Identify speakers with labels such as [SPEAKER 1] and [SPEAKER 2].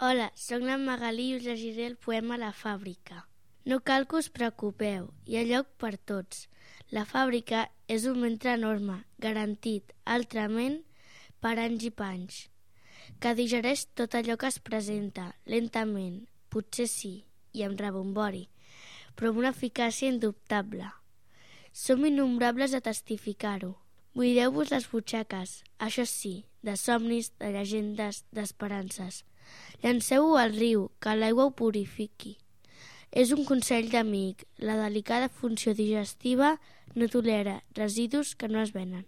[SPEAKER 1] Hola, sóc la Magalí i us llegiré el poema La fàbrica. No cal que us preocupeu, hi ha lloc per tots. La fàbrica és un ventre enorme, garantit, altrament, per anys i panys, que digereix tot allò que es presenta, lentament, potser sí, i amb rebombori, però amb una eficàcia indubtable. Som innombrables a testificar-ho. Buideu-vos les butxaques, això sí, de somnis, de llegendes, d'esperances. Llanceu-ho al riu, que l'aigua ho purifiqui. És un consell d'amic, la delicada funció digestiva no tolera residus que no es venen.